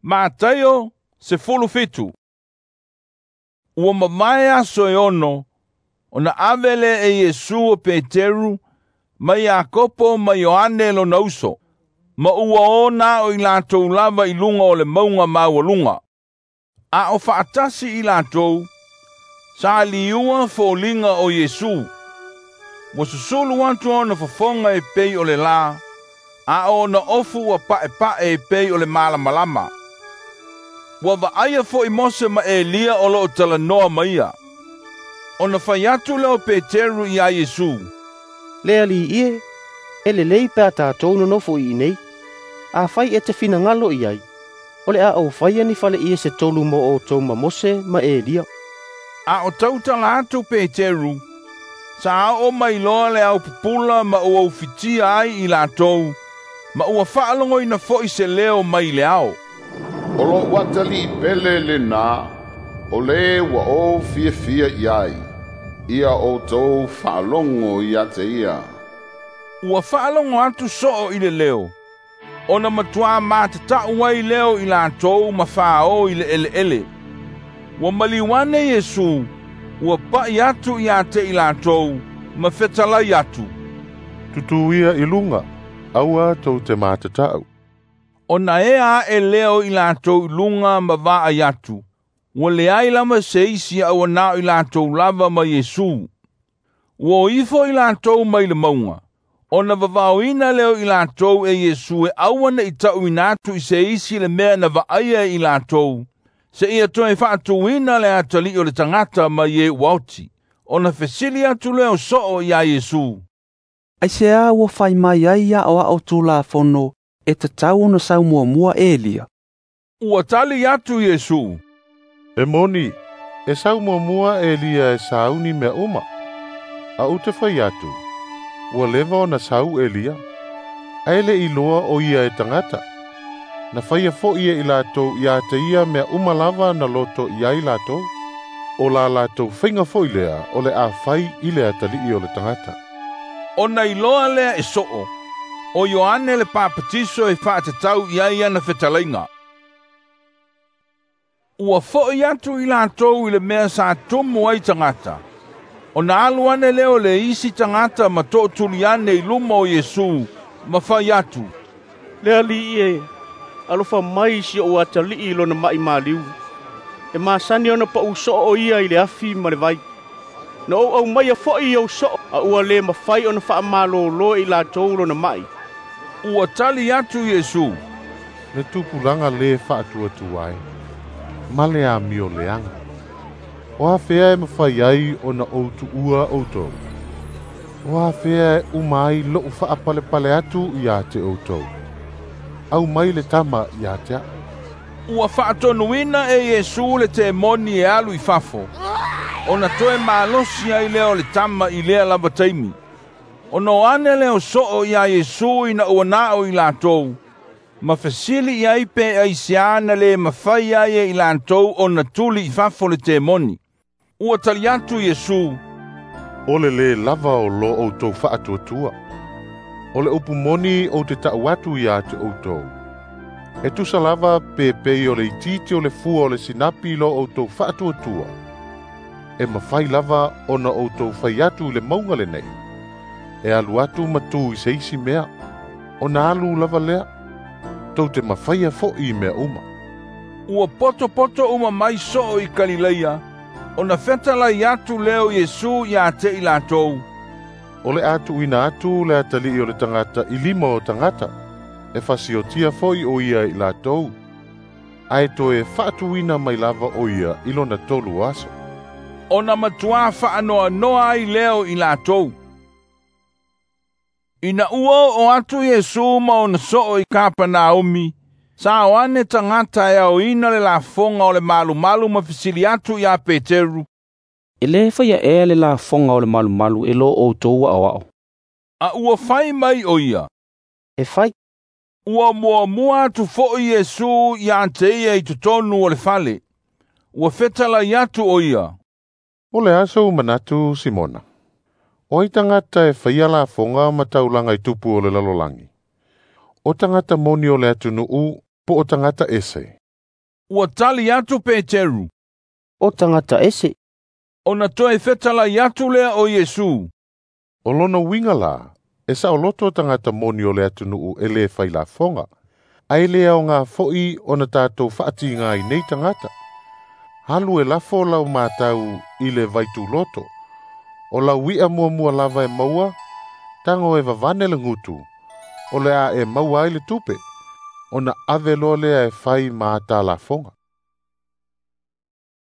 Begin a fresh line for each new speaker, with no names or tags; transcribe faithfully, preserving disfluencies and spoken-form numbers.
Mataio sefulu fitu. Ua mavae aso e ono, ona ave lea e Iesu o Peteru, ma Iakopo ma Ioane lona uso, ma ua o na o i latou lava i luga o le mauga maualuga. A o faatasi i latou, sa liua foliga o Iesu. Ua susulu atu ona fofoga e pei o le lā, a o ona ofu ua pa'epa'e e pei o le malamalama. Ua vaaia fo'i Mose ma Elia o loo talanoa ma ia. Ona fai atu lea o Peteru iā Iesu,
“Le Alii e, e lelei pe a tatou nonofo i inei. Afai e te finagalo i ai, o le a ou faia ni faleie se tolu mo outou ma Mose ma Elia.”
A o tautala atu Peteru, sa oo mai loa le aupupula ma ua ufitia ai i latou, ma ua faalogoina fo'i se leo mai le ao.
“O lo'u Atalii pele lenā, o le ua ou fiafia i ai. Ia outou faalogo ia te ia.”
Ua faalogo atu soo i le leo, ona matuā matata'u ai lea o i latou ma fāō i le eleele. Ua maliu ane Iesu, ua pa'i atu iā te i latou, ma fetalai atu,
“Tutū ia i luga, aua tou te matata'u.”
Ona ea aʻe lea o i latou i luga ma vaai atu, ua leai lava se isi a ua na o i latou lava ma Iesu. Ua o ifo i latou mai le mauga, ona vavaoina lea o i latou e Iesu e aua ne'i ta'uina atu i se isi le mea na vaaia e i latou, seia toe faatuina le atalii o le tagata mai e ua oti. Ona fesili atu lea o soo iā Iesu,
“Aisea ua fai mai ai aoao Tulafono e tatau ona sau muamua Elia?”
Ua tali atu Iesu,
“E moni, e sau muamua Elia e sauni mea uma. A ou te fai atu, ua leva ona sau Elia, ae le'i iloa o ia e tagata. Na faia fo'i e i latou ia te ia mea uma lava na loto i ai latou. O la latou faiga fo'i lea o le a fai i le Atalii o le tagata.”
Ona iloa lea e soo, o Ioane le Papatiso e faatatau i ai ana fetalaiga. Ua fo'i atu i latou i le mea sa tumu ai tagata. Ona alu ane lea o le isi tagata ma to'otuli ane i luma o Iesu, ma fai atu,
“Le Alii e, alofa mai i si ou atalii i lona ma'i maliu. E masani ona pa'u soo o ia i le afi ma le vai. Na ou aumaia fo'i i ou soo, a ua lē mafai ona faamalōlō e i latou lona ma'i.”
Ua tali atu Iesu,
“Le tupulaga lē faatuatua e, ma le amio leaga. O afea e mafai ai ona ou tuua outou? O afea e uma ai lo'u faapalepale atu iā te outou? Aumai le tama ia te a'u.”
Ua faatonuina e Iesu le temoni e alu i fafo, ona toe malosi ai lea o le tama i lea lava taimi. Ona o ane lea o soo iā Iesu ina ua na o i latou, ma fesili i ai pe aisea na lē mafai ai e i latou ona tuli i fafo le temoni. Ua tali atu Iesu,
“O le lē lava o lo outou faatuatua. O le upu moni ou te ta'u atu iā te outou, e tusa lava pe pei o le itiiti o le fua o le sinapi lo outou faatuatua, e mafai lava ona outou fai atu i le mauga lenei, e alu atu ma tu i se isi mea, ona alu lava lea. Tou te mafaia fo'i i mea uma.”
Ua potopoto uma mai soo i Kalileia, ona fetalai atu lea o Iesu iā te i latou,
“O le a tuuina atu le Atalii o le tagata i lima o tagata, e fasiotia fo'i o ia i latou, ae toe faatuina mai lava o ia i lona tolu o aso.”
Ona matuā faanoanoa ai lea o i latou. Ina ua oo atu Iesu ma ona soo i Kapanaumi, sa o ane tagata e aoina le lafoga o le malumalu ma fesili atu iā Peteru,
“E lē faia ea le lafoga o le malumalu e lo outou aoao?”
A ua fai mai o ia,
“E fai.”
Ua muamua atu fo'i Iesu iā te ia i totonu o le fale. Ua fetalai atu o ia,
“O le a sou manatu, Simona? O ai tagata e faia lafoga ma taulaga i tupu o le lalolagi? O tagata moni o le atunu'u po o tagata ese?”
Ua tali atu Peteru,
O tagata ese.
Ona toe fetalai atu lea o Iesu,
O lona uiga lā, e saoloto tagata moni o le atunuu e lē failafoga, ae le aogā fo'i ona tatou faatigā i nei tagata. Alu e lafo lau matau i le vaituloto. O lau i'a muamua lava e maua, tago e vavane le gutu, o le a e maua ai le tupe, ona ave loa lea e fai ma ata lafoga.